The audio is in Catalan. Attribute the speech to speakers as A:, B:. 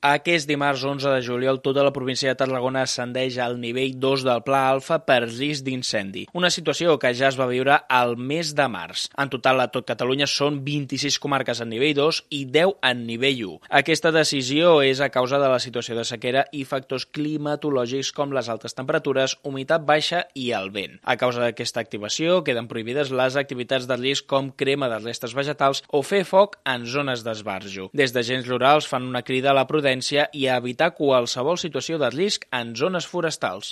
A: Aquest dimarts 11 de juliol tota la província de Tarragona ascendeix al nivell 2 del Pla Alfa per risc d'incendi, una situació que ja es va viure al mes de març. En total a tot Catalunya són 26 comarques en nivell 2 i 10 en nivell 1. Aquesta decisió és a causa de la situació de sequera i factors climatològics com les altes temperatures, humitat baixa i el vent. A causa d'aquesta activació queden prohibides les activitats de risc com crema de restes vegetals o fer foc en zones d'esbarjo. Des d'agents rurals fan una crida a la prudència i a evitar qualsevol situació de risc en zones forestals.